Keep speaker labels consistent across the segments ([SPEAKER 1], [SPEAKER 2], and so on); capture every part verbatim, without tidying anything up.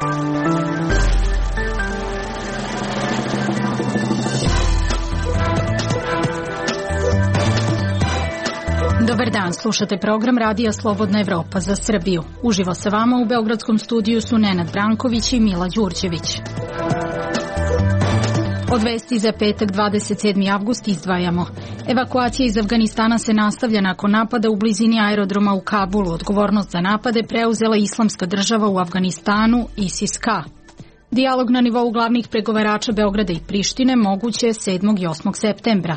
[SPEAKER 1] Dobar dan, slušate program Radija Slobodna Evropa za Srbiju. Uživo sa vama u beogradskom studiju su Nenad Branković i Mila Đurđević. Od vesti za petak dvadeset sedmi avgust izdvajamo. Evakuacija iz Afganistana se nastavlja nakon napada u blizini aerodroma u Kabulu. Odgovornost za napade preuzela Islamska država u Afganistanu, ISIS-K. Dijalog na nivou glavnih pregovarača Beograda i Prištine moguće je sedmog i osmog septembra.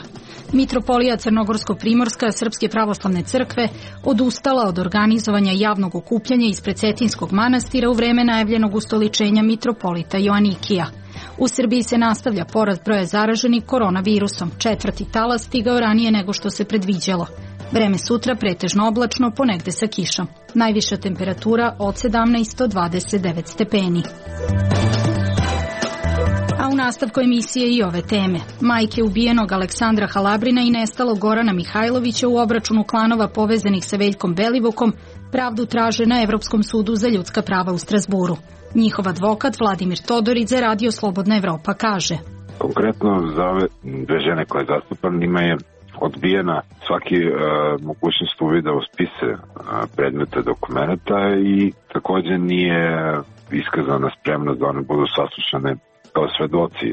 [SPEAKER 1] Mitropolija Crnogorsko-Primorska Srpske pravoslavne crkve odustala od organizovanja javnog okupljanja ispred Cetinskog manastira u vreme najavljenog ustoličenja mitropolita Joanikija. U Srbiji se nastavlja porast broja zaraženih koronavirusom. Četvrti talas stigao ranije nego što se predviđalo. Vreme sutra pretežno oblačno, ponegde sa kišom. Najviša temperatura od sedamnaest do dvadeset devet stepeni. A u nastavku emisije i ove teme. Majke ubijenog Aleksandra Halabrina i nestalog Gorana Mihajlovića u obračunu klanova povezanih sa Veljkom Belivukom pravdu traže na Evropskom sudu za ljudska prava u Strazburu. Njihov advokat Vladimir Todorić za Radio Slobodna Evropa kaže:
[SPEAKER 2] Konkretno za ove dve žene koje zastupam, njima je odbijena svaki e, mogućnost uvida u spise e, predmeta dokumenta i također nije iskazana spremnost da one budu saslušane kao svedoci.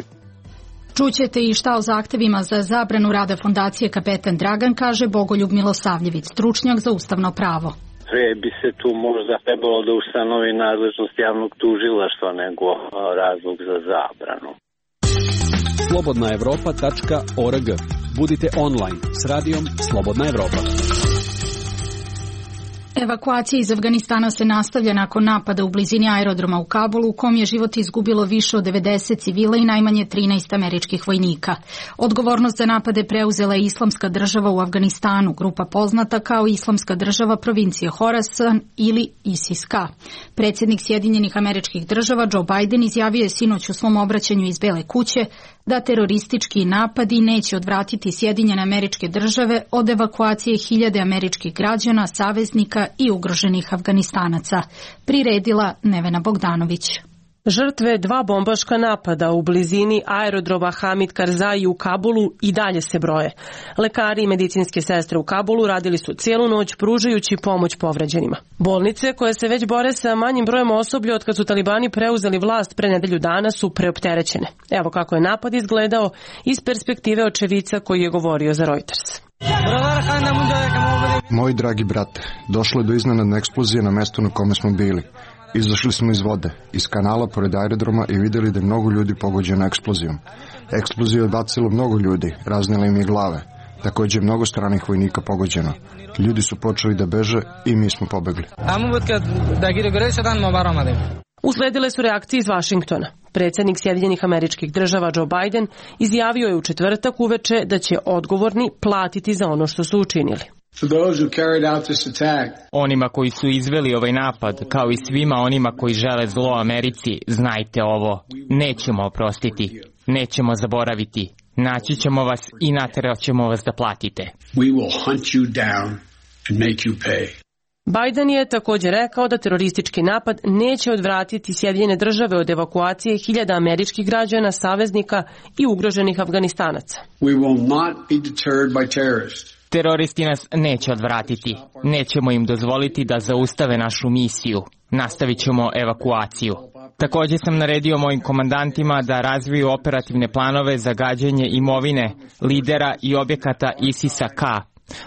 [SPEAKER 1] Čućete i šta o zahtevima za zabranu rada fondacije Kapetan Dragan kaže Bogoljub Milosavljević, stručnjak za ustavno pravo.
[SPEAKER 3] Sve bi se tu možda trebalo da ustanovi nadležnost javnog tužilaštva nego razlog za zabranu.
[SPEAKER 4] slobodna evropa tačka org. Budite online s radijom Slobodna Evropa.
[SPEAKER 1] Evakuacija iz Afganistana se nastavlja nakon napada u blizini aerodroma u Kabulu u kom je život izgubilo više od devedeset civila i najmanje trinaest američkih vojnika. Odgovornost za napade preuzela je Islamska država u Afganistanu, grupa poznata kao Islamska država provincije Horasan ili ISIS-K. Predsjednik Sjedinjenih Američkih Država Joe Biden izjavio je sinoć u svom obraćanju iz Bele kuće da teroristički napadi neće odvratiti Sjedinjene Američke Države od evakuacije hiljade američkih građana, saveznika i ugroženih Afganistanaca, priredila Nevena Bogdanović.
[SPEAKER 5] Žrtve dva bombaška napada u blizini aerodroma Hamid Karzai u Kabulu i dalje se broje. Lekari i medicinske sestre u Kabulu radili su cijelu noć pružajući pomoć povređenima. Bolnice koje se već bore sa manjim brojem osoblja od kad su talibani preuzeli vlast pre nedelju dana su preopterećene. Evo kako je napad izgledao iz perspektive očevica koji je govorio za Reuters.
[SPEAKER 6] Moji dragi brate, došlo je do iznenadne eksplozije na mestu na kome smo bili. Izašli smo iz vode, iz kanala pored aerodroma i vidjeli da je mnogo ljudi pogođeno eksplozijom. Eksplozija je odbacila mnogo ljudi, raznila im je glave. Također je mnogo stranih vojnika pogođeno. Ljudi su počeli da beže i mi smo pobegli.
[SPEAKER 5] Usledile su reakcije iz Vašingtona. Predsjednik Sjedinjenih Američkih Država Joe Biden izjavio je u četvrtak uveče da će odgovorni platiti za ono što su učinili.
[SPEAKER 7] Onima koji su izveli ovaj napad, kao i svima onima koji žele zlo Americi, znajte ovo, nećemo oprostiti, nećemo zaboraviti, naći ćemo vas i naterat ćemo vas da platite.
[SPEAKER 5] Biden je također rekao da teroristički napad neće odvratiti Sjedinjene Države od evakuacije hiljada američkih građana, saveznika i ugroženih Afganistanaca.
[SPEAKER 7] Teroristi nas neće odvratiti. Nećemo im dozvoliti da zaustave našu misiju. Nastavit ćemo evakuaciju. Također sam naredio mojim komandantima da razviju operativne planove za gađanje imovine, lidera i objekata ISIS-K.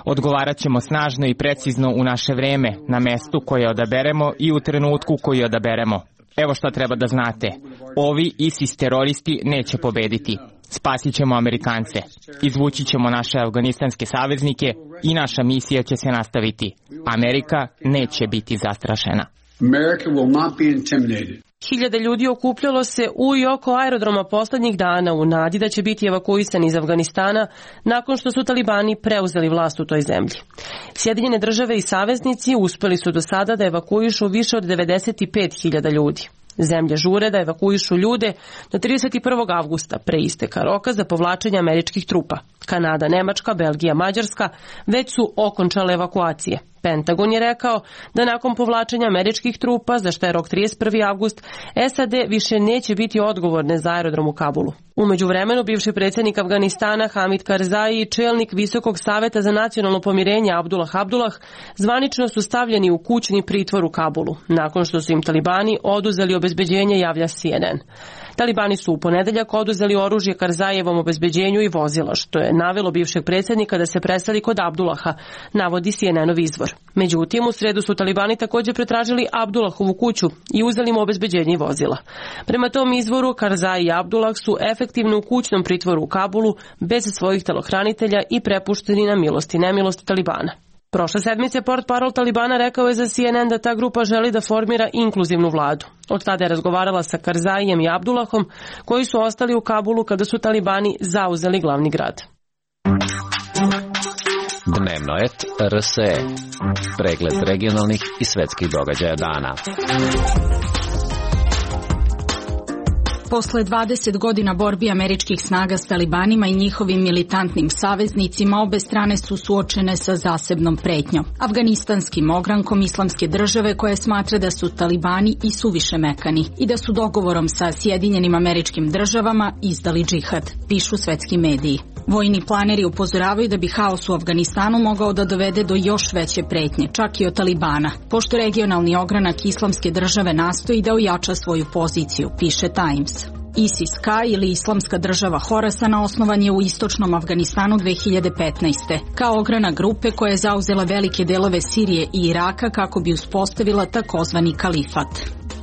[SPEAKER 7] Odgovarat ćemo snažno i precizno u naše vreme, na mestu koje odaberemo i u trenutku koji odaberemo. Evo što treba da znate. Ovi ISIS teroristi neće pobediti. Spasit ćemo Amerikance. Izvući ćemo naše afganistanske saveznike i naša misija će se nastaviti. Amerika neće biti zastrašena.
[SPEAKER 5] Hiljade ljudi okupljalo se u i oko aerodroma posljednjih dana u nadi da će biti evakuisani iz Afganistana nakon što su talibani preuzeli vlast u toj zemlji. Sjedinjene Države i saveznici uspjeli su do sada da evakuišu više od devedeset pet hiljada ljudi. Zemlje žure da evakuišu ljude do trideset prvog avgusta pre isteka roka za povlačenje američkih trupa. Kanada, Nemačka, Belgija, Mađarska već su okončale evakuacije. Pentagon je rekao da nakon povlačenja američkih trupa, za što je rok trideset prvi avgust, S A D više neće biti odgovorne za aerodrom u Kabulu. U međuvremenu, bivši predsjednik Afganistana Hamid Karzai i čelnik Visokog saveta za nacionalno pomirenje Abdullah Abdullah zvanično su stavljeni u kućni pritvor u Kabulu, nakon što su im talibani oduzeli obezbeđenje, javlja C N N. Talibani su u ponedeljak oduzeli oružje Karzajevom obezbeđenju i vozila, što je navelo bivšeg predsjednika da se preseli kod Abdullaha, navodi C N N-ov izvor. Međutim, u sredu su talibani također pretražili Abdullahovu kuću i uzeli mu obezbeđenje i vozila. Prema tom izvoru, Karzai i Abdullah su efektivno u kućnom pritvoru u Kabulu bez svojih telohranitelja i prepušteni na milost i nemilost talibana. Prošle sedmice portparol Talibana rekao je za C N N da ta grupa želi da formira inkluzivnu vladu. Od tada je razgovarala sa Karzajem i Abdullahom, koji su ostali u Kabulu kada su talibani zauzeli glavni grad.
[SPEAKER 8] Dnevnoet R S E. Pregled regionalnih i svetskih događaja dana.
[SPEAKER 1] Posle dvadeset godina borbi američkih snaga s talibanima i njihovim militantnim saveznicima, obe strane su suočene sa zasebnom pretnjom. Afganistanskim ogrankom islamske države koje smatra da su talibani i suviše mekani i da su dogovorom sa Sjedinjenim Američkim Državama izdali džihad, pišu svetski mediji. Vojni planeri upozoravaju da bi haos u Afganistanu mogao da dovede do još veće pretnje, čak i od Talibana, pošto regionalni ogranak islamske države nastoji da ojača svoju poziciju, piše Times. ISIS-K ili Islamska država Horasana osnovan je u istočnom Afganistanu dve hiljade petnaeste. kao ogranak grupe koja je zauzela velike delove Sirije i Iraka kako bi uspostavila takozvani kalifat.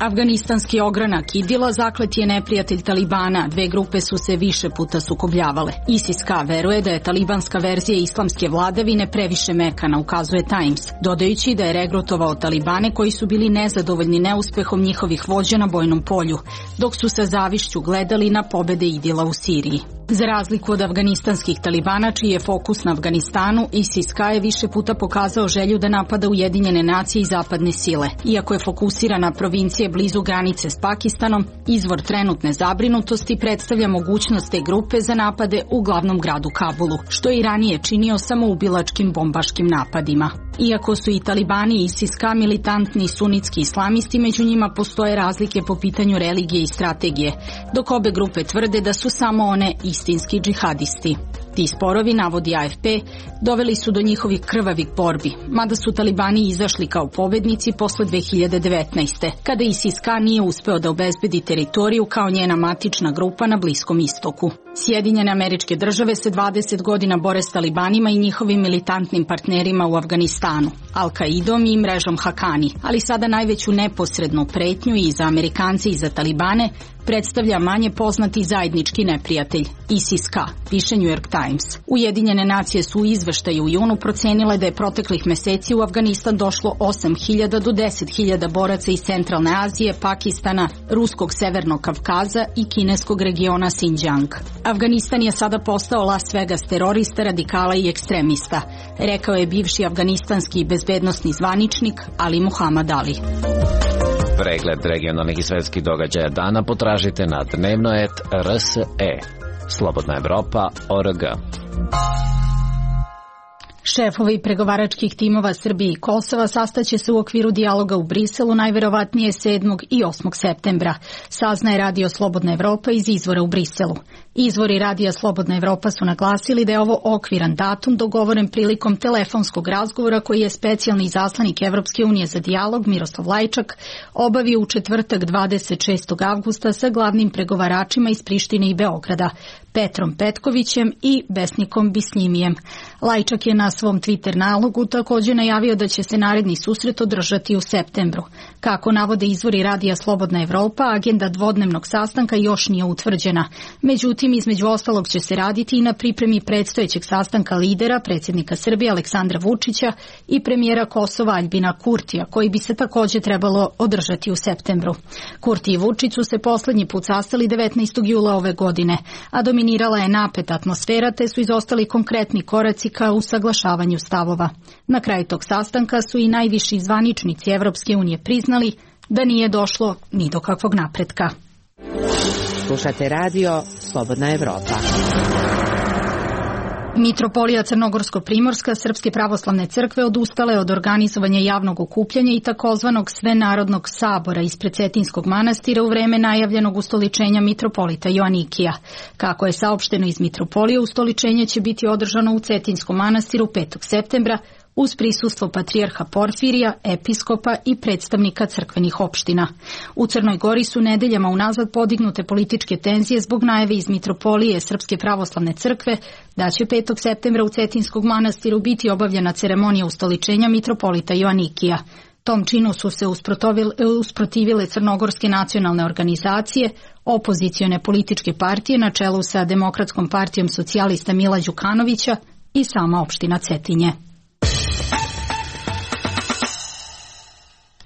[SPEAKER 1] Afganistanski ogranak Idila zaklet je neprijatelj Talibana, dve grupe su se više puta sukobljavale. ISIS-K veruje da je talibanska verzija islamske vladavine previše mekana, ukazuje Times, dodajući da je regrutovao talibane koji su bili nezadovoljni neuspehom njihovih vođa na bojnom polju, dok su sa zavišću gledali na pobede Idila u Siriji. Za razliku od afganistanskih talibana, čiji je fokus na Afganistanu, ISIS-K je više puta pokazao želju da napada Ujedinjene nacije i zapadne sile. Iako je fokusiran na provincije blizu granice s Pakistanom, izvor trenutne zabrinutosti predstavlja mogućnost te grupe za napade u glavnom gradu Kabulu, što je i ranije činio samoubilačkim bombaškim napadima. Iako su i talibani i ISIS-K militantni sunitski islamisti, među njima postoje razlike po pitanju religije i strategije, dok obe grupe tvrde da su samo one istinski džihadisti. Ti sporovi, navodi A F P, doveli su do njihovih krvavih borbi, mada su talibani izašli kao pobednici posle dve hiljade devetnaeste. kada ISIS-K nije uspeo da obezbedi teritoriju kao njena matična grupa na Bliskom istoku. Sjedinjene Američke Države se dvadeset godina bore s talibanima i njihovim militantnim partnerima u Afganistanu, Al-Kaidom i mrežom Hakani, ali sada najveću neposrednu pretnju i za Amerikance i za talibane predstavlja manje poznati zajednički neprijatelj, ISIS-K, piše New York Times. Ujedinjene nacije su u izveštaju u junu procenile da je proteklih meseci u Afganistan došlo osam hiljada do deset hiljada boraca iz Centralne Azije, Pakistana, Ruskog severnog Kavkaza i kineskog regiona Xinjiang. Afganistan je sada postao Las Vegas terorista, radikala i ekstremista, rekao je bivši afganistanski bezbednosni zvaničnik Ali Muhammad Ali.
[SPEAKER 8] Pregled regionalnih i svetskih događaja dana potražite na Dnevnoet R S E. Slobodna Evropa O R G.
[SPEAKER 1] Šefovi pregovaračkih timova Srbije i Kosova sastaće se u okviru dijaloga u Briselu najverovatnije sedmog i osmog septembra, saznaje Radio Slobodna Evropa iz izvora u Briselu. Izvori Radija Slobodna Evropa su naglasili da je ovo okviran datum dogovoren prilikom telefonskog razgovora koji je specijalni izaslanik Evropske unije za dijalog Miroslav Lajčak obavio u četvrtak dvadeset šestog avgusta sa glavnim pregovaračima iz Prištine i Beograda, Petrom Petkovićem i Besnikom Bisljimijem. Lajčak je na svom Twitter nalogu također najavio da će se naredni susret održati u septembru. Kako navode izvori Radija Slobodna Evropa, agenda dvodnevnog sastanka još nije utvrđena. Međutim, između ostalog će se raditi i na pripremi predstojećeg sastanka lidera, predsjednika Srbije Aleksandra Vučića i premijera Kosova Aljbina Kurtija, koji bi se također trebalo održati u septembru. Kurti i Vučić su se posljednji put sastali devetnaestog jula ove godine, a dominirala je napeta atmosfera te su izostali konkretni koraci ka usaglašavanju stavova. Na kraju tog sastanka su i najviši zvaničnici Evropske unije priznali da nije došlo ni do kakvog napretka.
[SPEAKER 9] Slušate radio Slobodna Evropa.
[SPEAKER 1] Mitropolija Crnogorsko-Primorska Srpske pravoslavne crkve odustala je od organizovanja javnog okupljanja i takozvanog svenarodnog sabora ispred Cetinskog manastira u vreme najavljenog ustoličenja mitropolita Joanikija. Kako je saopšteno iz mitropolije, ustoličenje će biti održano u Cetinskom manastiru petog septembra uz prisustvo patrijarha Porfirija, episkopa i predstavnika crkvenih opština. U Crnoj Gori su nedeljama unazad podignute političke tenzije zbog najave iz mitropolije Srpske pravoslavne crkve da će petog septembra u Cetinskog manastiru biti obavljena ceremonija ustoličenja mitropolita Joanikija. Tom činu su se usprotivile crnogorske nacionalne organizacije, opozicione političke partije na čelu sa Demokratskom partijom socijalista Mila Đukanovića i sama opština Cetinje.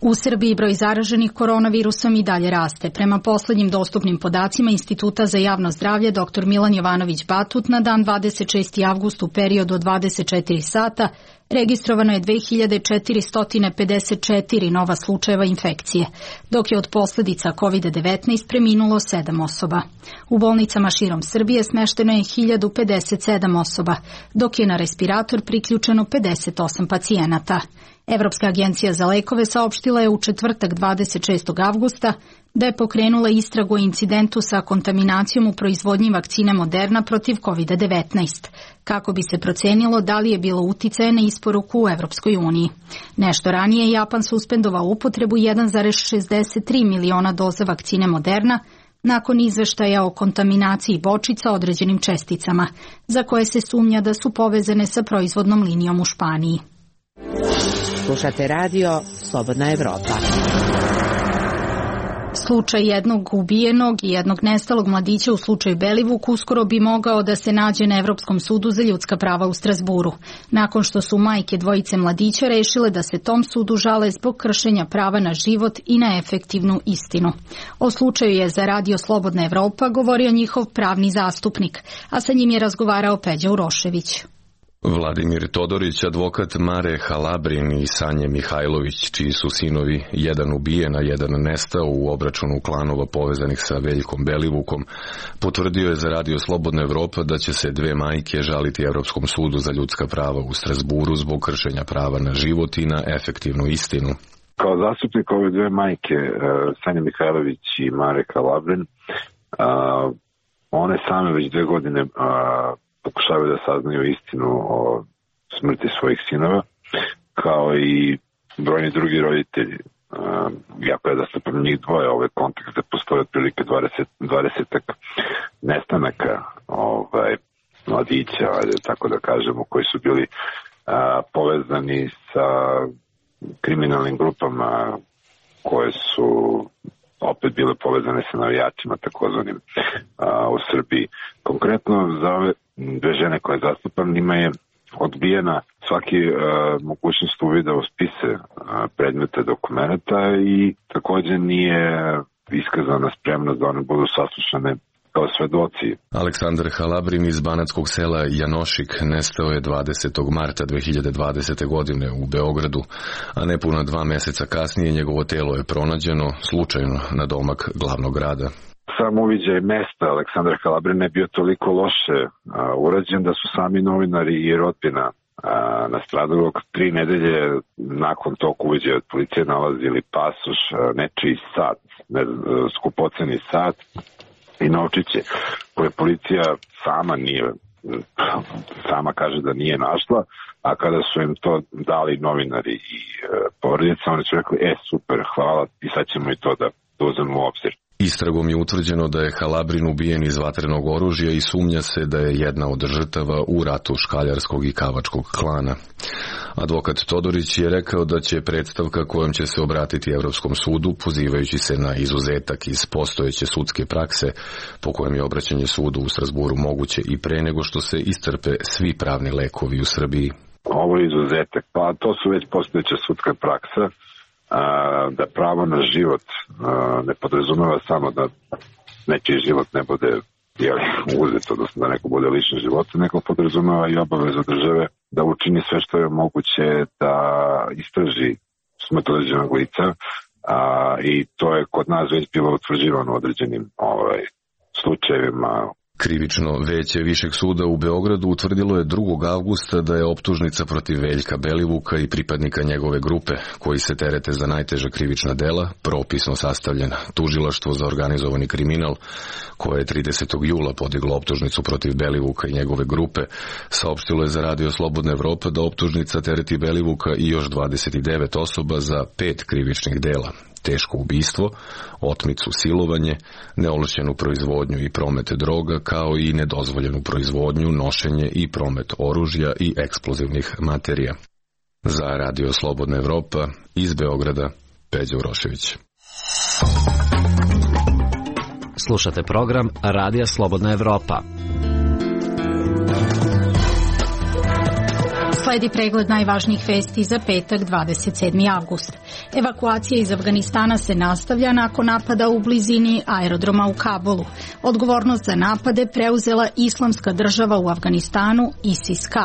[SPEAKER 1] U Srbiji broj zaraženih koronavirusom i dalje raste. Prema poslednjim dostupnim podacima Instituta za javno zdravlje dr Milan Jovanović Batut na dan dvadeset šestog avgusta u periodu od dvadeset četiri sata registrovano je dve hiljade četiristo pedeset četiri nova slučajeva infekcije, dok je od posledica kovid devetnaest preminulo sedam osoba. U bolnicama širom Srbije smešteno je hiljadu pedeset sedam osoba, dok je na respirator priključeno pedeset osam pacijenata. Evropska agencija za lekove saopštila je u četvrtak dvadeset šestog avgusta da je pokrenula istragu o incidentu sa kontaminacijom u proizvodnji vakcine Moderna protiv kovid devetnaest, kako bi se procenilo da li je bilo uticaja na isporuku u Evropskoj uniji. Nešto ranije Japan suspendovao upotrebu jedan zarez šezdeset tri miliona doza vakcine Moderna nakon izveštaja o kontaminaciji bočica određenim česticama, za koje se sumnja da su povezane sa proizvodnom linijom u Španiji.
[SPEAKER 9] Slušate radio Slobodna Evropa.
[SPEAKER 1] Slučaj jednog ubijenog i jednog nestalog mladića u slučaju Belivuk uskoro bi mogao da se nađe na Evropskom sudu za ljudska prava u Strazburu, nakon što su majke dvojice mladića rešile da se tom sudu žale zbog kršenja prava na život i na efektivnu istinu. O slučaju je za radio Slobodna Evropa govorio njihov pravni zastupnik, a sa njim je razgovarao Peđa Urošević.
[SPEAKER 10] Vladimir Todorić, advokat Mare Halabrin i Sanje Mihajlović, čiji su sinovi jedan ubijen, a jedan nestao u obračunu klanova povezanih sa Veljkom Belivukom, potvrdio je za radio Slobodna Evropa da će se dve majke žaliti Evropskom sudu za ljudska prava u Strazburu zbog kršenja prava na život i na efektivnu istinu.
[SPEAKER 2] Kao zastupnik ove dve majke, Sanja Mihajlović i Mare Halabrin, one same već dve godine pokušavaju da saznaju istinu o smrti svojih sinova, kao i brojni drugi roditelji. Jako je da se prema njih dvoje ovaj kontekst da postoje otprilike dvadeset nestanaka ovaj, mladića, tako da kažemo, koji su bili a, povezani sa kriminalnim grupama koje su opet bile povezane sa navijačima takozvanim u Srbiji. Konkretno za ove dve žene koje zastupam, njima je odbijena svaki uh, mogućnost uvida u spise uh, predmeta dokumenta i također nije iskazana spremnost da one budu saslušane kao svedoci.
[SPEAKER 10] Aleksandar Halabrin iz banatskog sela Janošik nestao je dvadesetog marta dve hiljade dvadesete. godine u Beogradu, a nepuna dva meseca kasnije njegovo telo je pronađeno slučajno na domak glavnog grada.
[SPEAKER 2] Sam uviđaj mesta Aleksandra Halabrina je bio toliko loše a, urađen da su sami novinari i rodbina nastradalog tri nedelje nakon tog uviđaja od policije nalazili pasoš, nečiji sat, ne, skupoceni sat i novčiće koje policija sama nije, sama kaže da nije našla, a kada su im to dali novinari i e, porodica, oni su rekli, e super, hvala i sad ćemo i to da uzmemo u obzir.
[SPEAKER 10] Istragom je utvrđeno da je Halabrin ubijen iz vatrenog oružja i sumnja se da je jedna od žrtava u ratu škaljarskog i kavačkog klana. Advokat Todorić je rekao da će predstavka kojom će se obratiti Evropskom sudu, pozivajući se na izuzetak iz postojeće sudske prakse, po kojem je obraćanje sudu u Strazburu moguće i pre nego što se iscrpe svi pravni lekovi u Srbiji.
[SPEAKER 2] Ovo je izuzetak, pa to su već postojeća sudska praksa, da pravo na život ne podrazumeva samo da nečiji život ne bude uzet, odnosno da neko bude lišen života, neko podrazumeva i obavezu države da učini sve što je moguće da istraži smrt određenog lica, a, i to je kod nas već bilo utvrđivano određenim ovaj, slučajevima.
[SPEAKER 10] Krivično veće Višeg suda u Beogradu utvrdilo je drugog avgusta da je optužnica protiv Veljka Belivuka i pripadnika njegove grupe, koji se terete za najteža krivična dela, propisno sastavljena. Tužilaštvo za organizovani kriminal, koje je tridesetog jula podiglo optužnicu protiv Belivuka i njegove grupe, saopštilo je za Radio Slobodna Evropa da optužnica tereti Belivuka i još dvadeset devet osoba za pet krivičnih dela: teško ubistvo, otmicu, silovanje, neovlašćenu proizvodnju i promet droga, kao i nedozvoljenu proizvodnju, nošenje i promet oružja i eksplozivnih materija. Za Radio Slobodna Evropa, iz Beograda, Peđa Urošević.
[SPEAKER 8] Slušate program Radija Slobodna Evropa.
[SPEAKER 1] Sledi pregled najvažnijih vesti za petak dvadeset sedmi avgust. Evakuacija iz Afganistana se nastavlja nakon napada u blizini aerodroma u Kabulu. Odgovornost za napade preuzela Islamska država u Afganistanu, ISIS-K.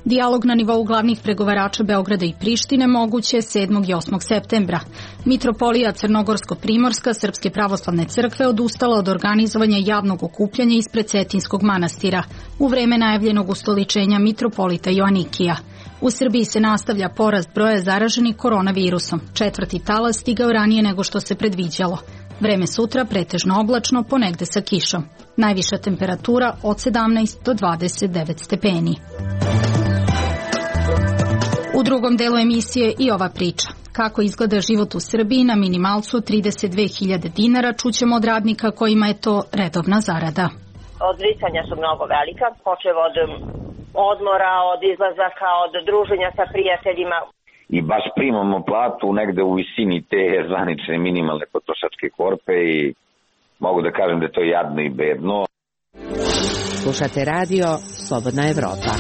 [SPEAKER 1] Dijalog na nivou glavnih pregovarača Beograda i Prištine moguće sedmog i osmog septembra. Mitropolija Crnogorsko-Primorska Srpske pravoslavne crkve odustala od organizovanja javnog okupljanja ispred Cetinskog manastira u vreme najavljenog ustoličenja mitropolita Joanikija. U Srbiji se nastavlja porast broja zaraženih koronavirusom. Četvrti talas stigao ranije nego što se predviđalo. Vreme sutra pretežno oblačno, ponegde sa kišom. Najviša temperatura od sedamnaest do dvadeset devet stepeni. U drugom delu emisije i ova priča. Kako izgleda život u Srbiji na minimalcu trideset dve hiljade dinara, čućemo od radnika kojima je to redovna zarada.
[SPEAKER 11] Odricanja su mnogo velika, počev od odmora, od izlazaka, od druženja sa prijateljima.
[SPEAKER 12] I baš primamo platu negde u visini te zvanične minimalne potrošačke korpe i mogu da kažem da je to jadno i bedno.
[SPEAKER 9] Slušate radio Slobodna Evropa.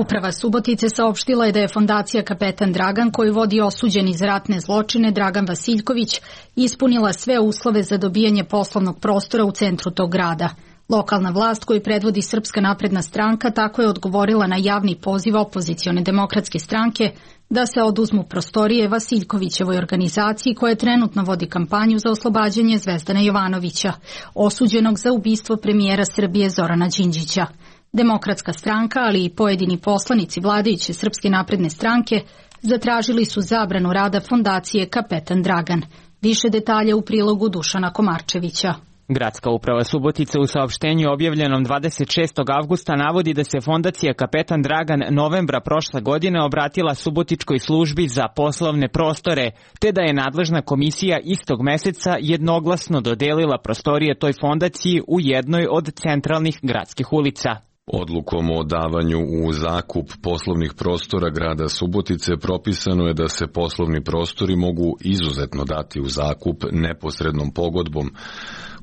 [SPEAKER 1] Uprava Subotice saopštila je da je fondacija Kapetan Dragan, koju vodi osuđeni za ratne zločine Dragan Vasiljković, ispunila sve uslove za dobijanje poslovnog prostora u centru tog grada. Lokalna vlast koju predvodi Srpska napredna stranka tako je odgovorila na javni poziv opozicione demokratske stranke da se oduzmu prostorije Vasiljkovićevoj organizaciji koja trenutno vodi kampanju za oslobađanje Zvezdana Jovanovića, osuđenog za ubistvo premijera Srbije Zorana Đinđića. Demokratska stranka, ali i pojedini poslanici vladajuće Srpske napredne stranke zatražili su zabranu rada fondacije Kapetan Dragan. Više detalja u prilogu Dušana Komarčevića.
[SPEAKER 7] Gradska uprava Subotice u saopštenju objavljenom dvadeset šestog avgusta navodi da se fondacija Kapetan Dragan novembra prošle godine obratila Subotičkoj službi za poslovne prostore, te da je nadležna komisija istog meseca jednoglasno dodelila prostorije toj fondaciji u jednoj od centralnih gradskih ulica.
[SPEAKER 10] Odlukom o davanju u zakup poslovnih prostora grada Subotice propisano je da se poslovni prostori mogu izuzetno dati u zakup neposrednom pogodbom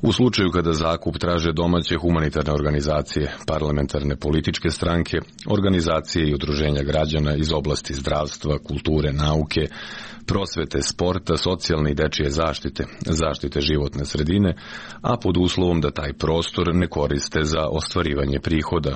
[SPEAKER 10] u slučaju kada zakup traže domaće humanitarne organizacije, parlamentarne političke stranke, organizacije i udruženja građana iz oblasti zdravstva, kulture, nauke, prosvete, sporta, socijalne i dečije zaštite, zaštite životne sredine, a pod uslovom da taj prostor ne koriste za ostvarivanje prihoda.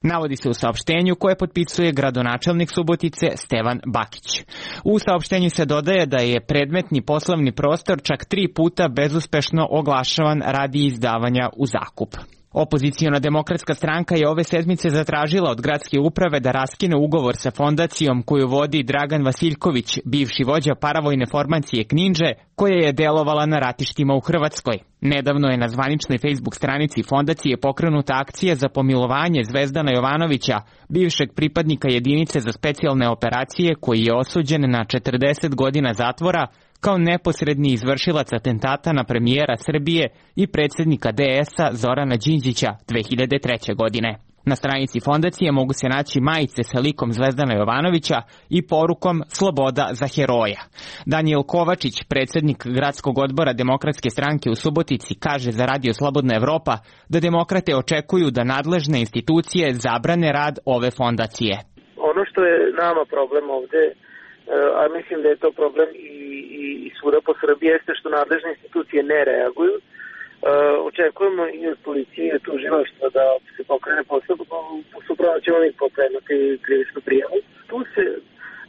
[SPEAKER 7] Navodi se u saopštenju koje potpisuje gradonačelnik Subotice Stevan Bakić. U saopštenju se dodaje da je predmetni poslovni prostor čak tri puta bezuspešno oglašavan radi izdavanja u zakup. Opoziciona demokratska stranka je ove sedmice zatražila od gradske uprave da raskine ugovor sa fondacijom koju vodi Dragan Vasiljković, bivši vođa paravojne formacije Kninđe, koja je delovala na ratištima u Hrvatskoj. Nedavno je na zvaničnoj Facebook stranici fondacije pokrenuta akcija za pomilovanje Zvezdana Jovanovića, bivšeg pripadnika jedinice za specijalne operacije koji je osuđen na četrdeset godina zatvora kao neposredni izvršilac atentata na premijera Srbije i predsjednika D S-a Zorana Đinđića dve hiljade treće. godine. Na stranici fondacije mogu se naći majice sa likom Zvezdana Jovanovića i porukom Sloboda za heroja. Danijel Kovačić, predsjednik gradskog odbora Demokratske stranke u Subotici, kaže za Radio Slobodna Evropa da demokrate očekuju da nadležne institucije zabrane rad ove fondacije.
[SPEAKER 13] Ono što je nama problem ovde, a mislim da je to problem i, i, i svuda po Srbiji, jeste što nadležne institucije ne reaguju. Uh, očekujemo i od policije i od tužilaštva da se pokrene postupak, suprotno ćemo ih pokrenuti krivičnu prijavu. Tu se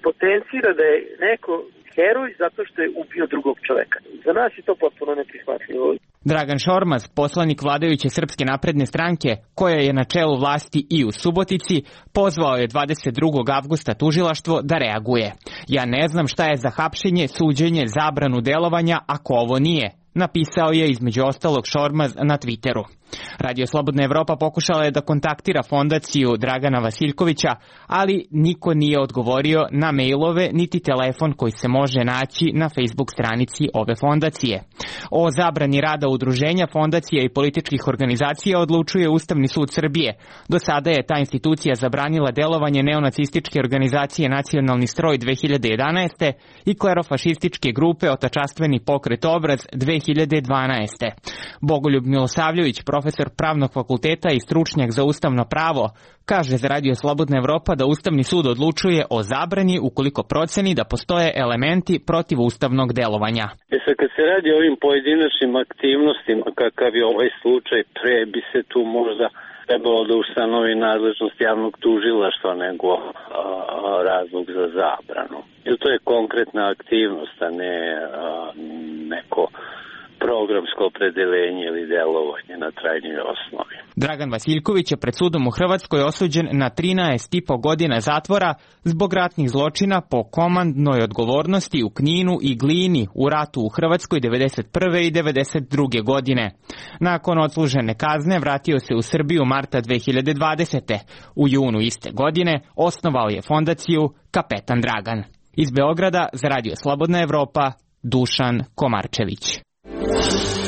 [SPEAKER 13] potencira da je neko heroj zato što je ubio drugog čoveka. Za nas je to potpuno neprihvatljivo.
[SPEAKER 7] Dragan Šormaz, poslanik vladajuće Srpske napredne stranke, koja je na čelu vlasti i u Subotici, pozvao je dvadeset drugog avgusta tužilaštvo da reaguje. Ja ne znam šta je za hapšenje, suđenje, zabranu delovanja ako ovo nije, napisao je između ostalog Šormaz na Twitteru. Radio Slobodna Evropa pokušala je da kontaktira fondaciju Dragana Vasiljkovića, ali niko nije odgovorio na mailove niti telefon koji se može naći na Facebook stranici ove fondacije. O zabrani rada udruženja, fondacija i političkih organizacija odlučuje Ustavni sud Srbije. Do sada je ta institucija zabranila delovanje neonacističke organizacije Nacionalni stroj dve hiljade jedanaeste i klerofašističke grupe Otačastveni pokret Obraz dve hiljade dvanaeste. Bogoljub Milosavljević, profesor pravnog fakulteta i stručnjak za ustavno pravo, kaže za Radio Slobodna Evropa da Ustavni sud odlučuje o zabrani ukoliko proceni da postoje elementi protiv ustavnog delovanja.
[SPEAKER 3] E sad, kad se radi o ovim pojedinačnim aktivnostima, kakav je ovaj slučaj, pre bi se tu možda trebalo da ustanovi nadležnost javnog tužilaštva nego a, a, razlog za zabranu. Jer to je konkretna aktivnost, a ne a, neko programsko opredeljenje ili delovanje na trajnoj osnovi.
[SPEAKER 7] Dragan Vasiljković je pred sudom u Hrvatskoj osuđen na trinaest i po godina zatvora zbog ratnih zločina po komandnoj odgovornosti u Kninu i Glini u ratu u Hrvatskoj devedeset prve i devedeset druge godine. Nakon odslužene kazne vratio se u Srbiju marta dve hiljade dvadesete. U junu iste godine osnovao je fondaciju Kapetan Dragan. Iz Beograda za Radio Slobodna Evropa, Dušan Komarčević.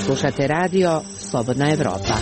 [SPEAKER 9] Slušate radio Slobodna Evropa.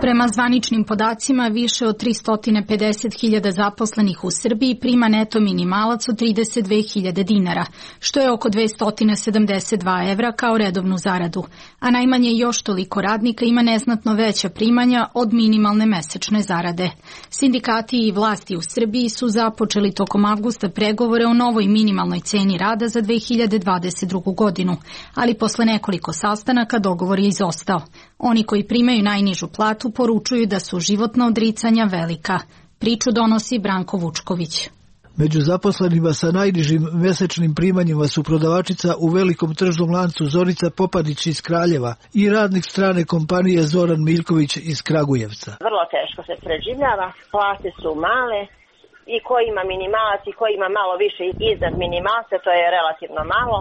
[SPEAKER 1] Prema zvaničnim podacima, više od tristo pedeset hiljada zaposlenih u Srbiji prima neto minimalac od trideset dve hiljade dinara, što je oko dvesta sedamdeset dva evra kao redovnu zaradu, a najmanje još toliko radnika ima neznatno veća primanja od minimalne mesečne zarade. Sindikati i vlasti u Srbiji su započeli tokom avgusta pregovore o novoj minimalnoj ceni rada za dve hiljade dvadeset drugu godinu, ali posle nekoliko sastanaka dogovor je izostao. Oni koji primaju najnižu platu poručuju da su životna odricanja velika. Priču donosi Branko Vučković.
[SPEAKER 14] Među zaposlenima sa najnižim mesečnim primanjima su prodavačica u velikom tržnom lancu Zorica Popadić iz Kraljeva i radnik strane kompanije Zoran Miljković iz Kragujevca.
[SPEAKER 11] Vrlo teško se preživljava, plate su male i ko ima minimalac i ko ima malo više iznad minimalca, to je relativno malo.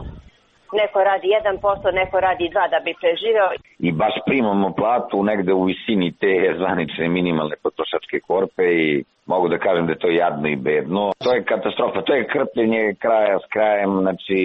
[SPEAKER 11] Neko radi jedan posto, neko radi dva da bi preživeo.
[SPEAKER 12] I baš primamo platu negde u visini te zvanične minimalne potrošačke korpe i mogu da kažem da je to jadno i bedno. To je katastrofa, to je krpljenje kraja s krajem, znači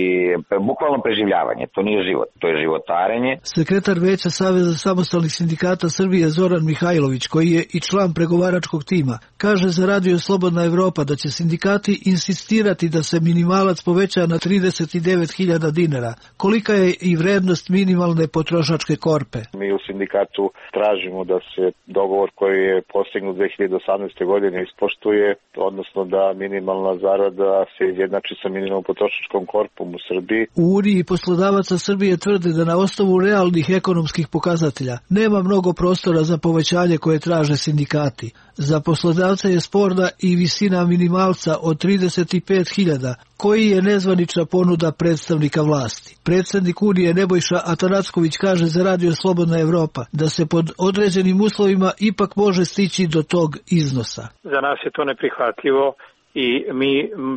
[SPEAKER 12] bukvalno preživljavanje, to nije život, to je životarenje.
[SPEAKER 14] Sekretar Veća Saveza samostalnih sindikata Srbije Zoran Mihajlović, koji je i član pregovaračkog tima, kaže za Radio Slobodna Evropa da će sindikati insistirati da se minimalac poveća na trideset devet hiljada dinara. Kolika je i vrednost minimalne potrošačke korpe?
[SPEAKER 15] Mi u sindikatu tražimo da se dogovor koji je postignut dve hiljade osamnaeste godine ispoštuje, odnosno da minimalna zarada se izjednači sa minimalnom potrošačkom korpom u Srbiji.
[SPEAKER 14] U Uniji poslodavaca Srbije tvrde da na osnovu realnih ekonomskih pokazatelja nema mnogo prostora za povećanje koje traže sindikati. Za poslodavca je sporna i visina minimalca od trideset pet hiljada, koji je nezvanična ponuda predstavnika vlasti. Predsednik Unije Nebojša Atanacković kaže za Radio Slobodna Evropa da se pod određenim uslovima ipak može stići do tog iznosa.
[SPEAKER 13] Za nas je to neprihvatljivo i mi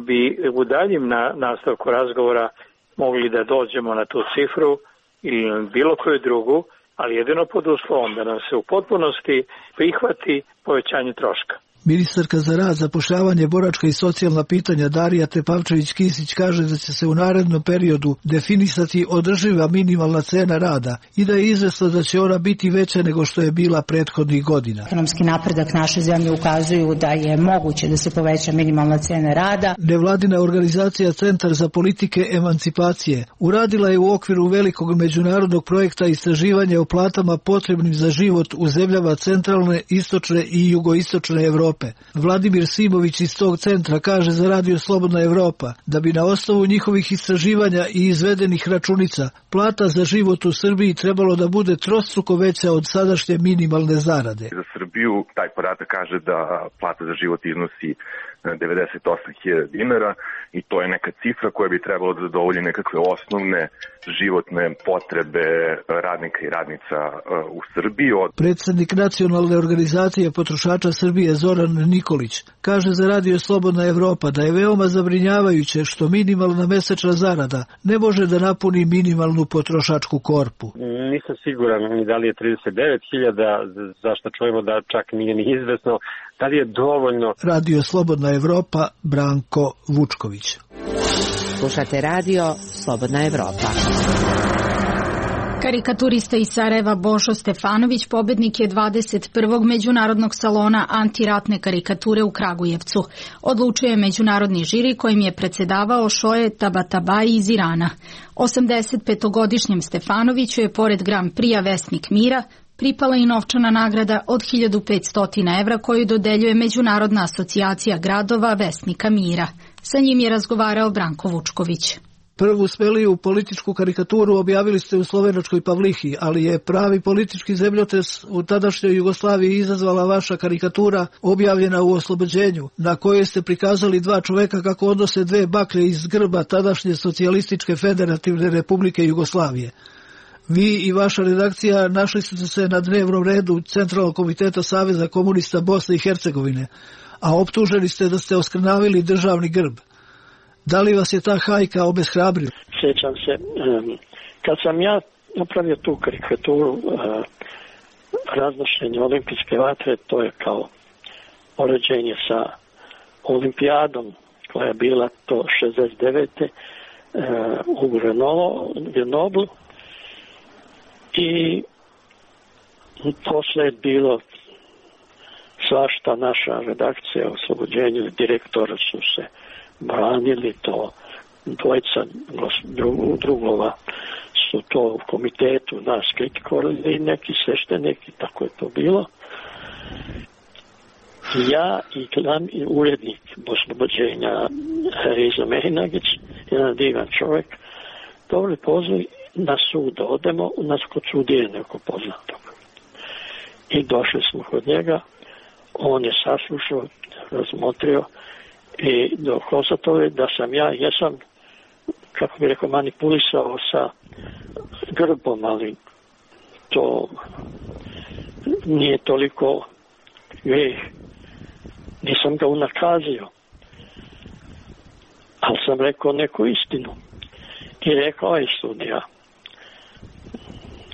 [SPEAKER 13] bi u daljem na nastavku razgovora mogli da dođemo na tu cifru ili na bilo koju drugu, ali jedino pod uslovom da nam se u potpunosti prihvati povećanje troška.
[SPEAKER 14] Ministarka za rad, zapošljavanje, boračka i socijalna pitanja Darija Tepavčević-Kisić kaže da će se u narednom periodu definisati održiva minimalna cena rada i da je izvesno da će ona biti veća nego što je bila prethodnih godina.
[SPEAKER 16] Ekonomski napredak naše zemlje ukazuju da je moguće da se poveća minimalna cena rada.
[SPEAKER 14] Nevladina organizacija Centar za politike emancipacije uradila je u okviru velikog međunarodnog projekta istraživanja o platama potrebnim za život u zemljama centralne, istočne i jugoistočne Evrope. Vladimir Simović iz tog centra kaže za Radio Slobodna Evropa da bi na osnovu njihovih istraživanja i izvedenih računica plata za život u Srbiji trebalo da bude trostruko veća od sadašnje minimalne zarade.
[SPEAKER 17] Za Srbiju taj podatak kaže da plata za život iznosi devedeset osam hiljada dinara i to je neka cifra koja bi trebalo da zadovolji nekakve osnovne životne potrebe radnika i radnica u Srbiji.
[SPEAKER 14] Predsednik Nacionalne organizacije potrošača Srbije Zoran Nikolić kaže za Radio Slobodna Evropa da je veoma zabrinjavajuće što minimalna mesečna zarada ne može da napuni minimalnu potrošačku korpu.
[SPEAKER 18] Nisam siguran ni da li je trideset devet hiljada, zašto čujemo da čak nije ni izvesno, da li je dovoljno.
[SPEAKER 14] Radio Slobodna Evropa, Branko Vučković.
[SPEAKER 9] Slušate Radio Slobodna Evropa.
[SPEAKER 1] Karikaturista iz Sarajeva Bošo Stefanović pobednik je dvadeset prvog međunarodnog salona antiratne karikature u Kragujevcu. Odlučuje međunarodni žiri kojim je predsedavao Šoje Tabatabai iz Irana. osamdeset petogodišnjem Stefanoviću je pored Grand Prix-a Vesnik mira pripala i novčana nagrada od hiljadu petsto evra koju dodeljuje Međunarodna asocijacija gradova Vesnika mira. Sa njim je razgovarao Branko Vučković.
[SPEAKER 14] Prvu smeliju političku karikaturu objavili ste u slovenačkoj Pavlihi, ali je pravi politički zemljotres u tadašnjoj Jugoslaviji izazvala vaša karikatura objavljena u Oslobođenju, na kojoj ste prikazali dva čoveka kako odnose dve baklje iz grba tadašnje socijalističke federativne republike Jugoslavije. Vi i vaša redakcija našli ste se na dnevnom redu Centralnog komiteta Saveza komunista Bosne i Hercegovine, a optuženi ste da ste oskrnavili državni grb. Da li vas je ta hajka obeshrabrila?
[SPEAKER 19] Sjećam se, kad sam ja napravio tu karikaturu raznošenje olimpijske vatre, to je kao poređenje sa olimpijadom koja je bila to šezdeset devete u Grenoblu i posle je bilo svašta, naša redakcija u Oslobođenju, direktora su se branili, to dvojica drugova su to u komitetu nas kritikovali i neki sveštenik i tako je to bilo. Ja i glavni urednik Oslobođenja Rizo Mehinagić, jedan divan čovjek, dobili poziv na sud da odemo u nas kod sudije nekog poznatog. I došli smo kod njega, on je saslušao, razmotrio i dokazao je da sam ja, jesam, kako bi rekao, manipulisao sa grbom, ali to nije toliko greh. Nisam ga unakazio, ali sam rekao neku istinu. I rekao je sudija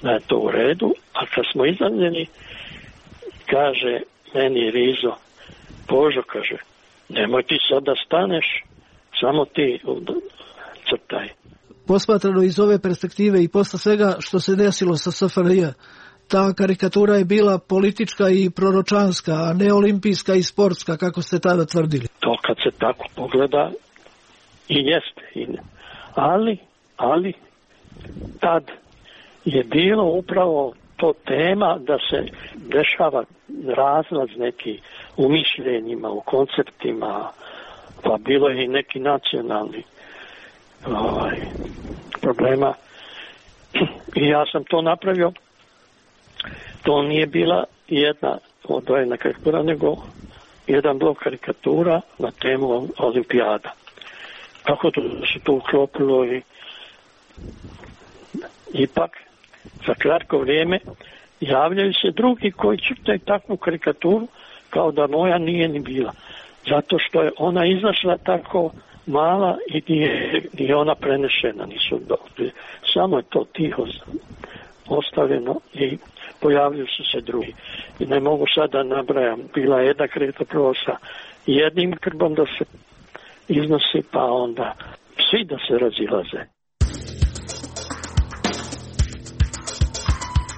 [SPEAKER 19] da je to u redu, a kad smo izavljeni, kaže meni Rizo, Božo, kaže, nemoj ti sad da staneš, samo ti crtaj.
[SPEAKER 14] Posmatrano iz ove perspektive i posle svega što se desilo sa S F R J, ta karikatura je bila politička i proročanska, a ne olimpijska i sportska, kako ste tada tvrdili.
[SPEAKER 19] To kad se tako pogleda i jeste, ali, ali tad je bilo upravo to tema da se dešava razlaz neki u mišljenjima, u konceptima, pa bilo je i neki nacionalni ovaj, problema. I ja sam to napravio. To nije bila jedna odvojena karikatura, nego jedan blok karikatura na temu olimpijada. Kako to se to uklopilo i ipak za kratko vrijeme javljaju se drugi koji čitaju takvu karikaturu kao da moja nije ni bila. Zato što je ona izašla tako mala i nije, nije ona prenešena, nisu dobili. Samo je to tiho ostavljeno i pojavljuju su se drugi. I ne mogu sad da nabrajam, bila je jedna karikatura sa jednim grbom da se iznosi, pa onda svi da se razilaze.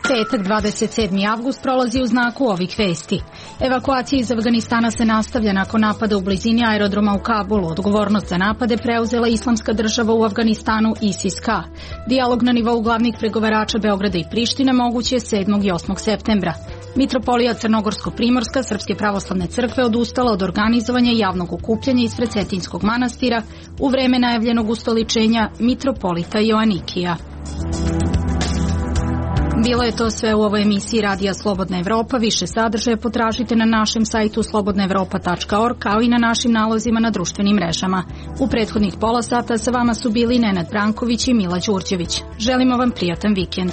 [SPEAKER 1] Petak dvadeset sedmi avgust prolazi u znaku ovih vesti. Evakuacija iz Afganistana se nastavlja nakon napada u blizini aerodroma u Kabulu. Odgovornost za napade preuzela Islamska država u Afganistanu ISIS-K. Dijalog na nivou glavnih pregovarača Beograda i Prištine moguć je sedmog i osmog septembra. Mitropolija Crnogorsko-Primorska Srpske pravoslavne crkve odustala od organizovanja javnog okupljanja ispred Cetinjskog manastira u vreme najavljenog ustoličenja mitropolita Joanikija. Bilo je to sve u ovoj emisiji Radija Slobodna Evropa. Više sadržaja potražite na našem sajtu slobodna evropa tačka org kao i na našim nalozima na društvenim mrežama. U prethodnih pola sata sa vama su bili Nenad Branković i Mila Đurđević. Želimo vam prijatan vikend.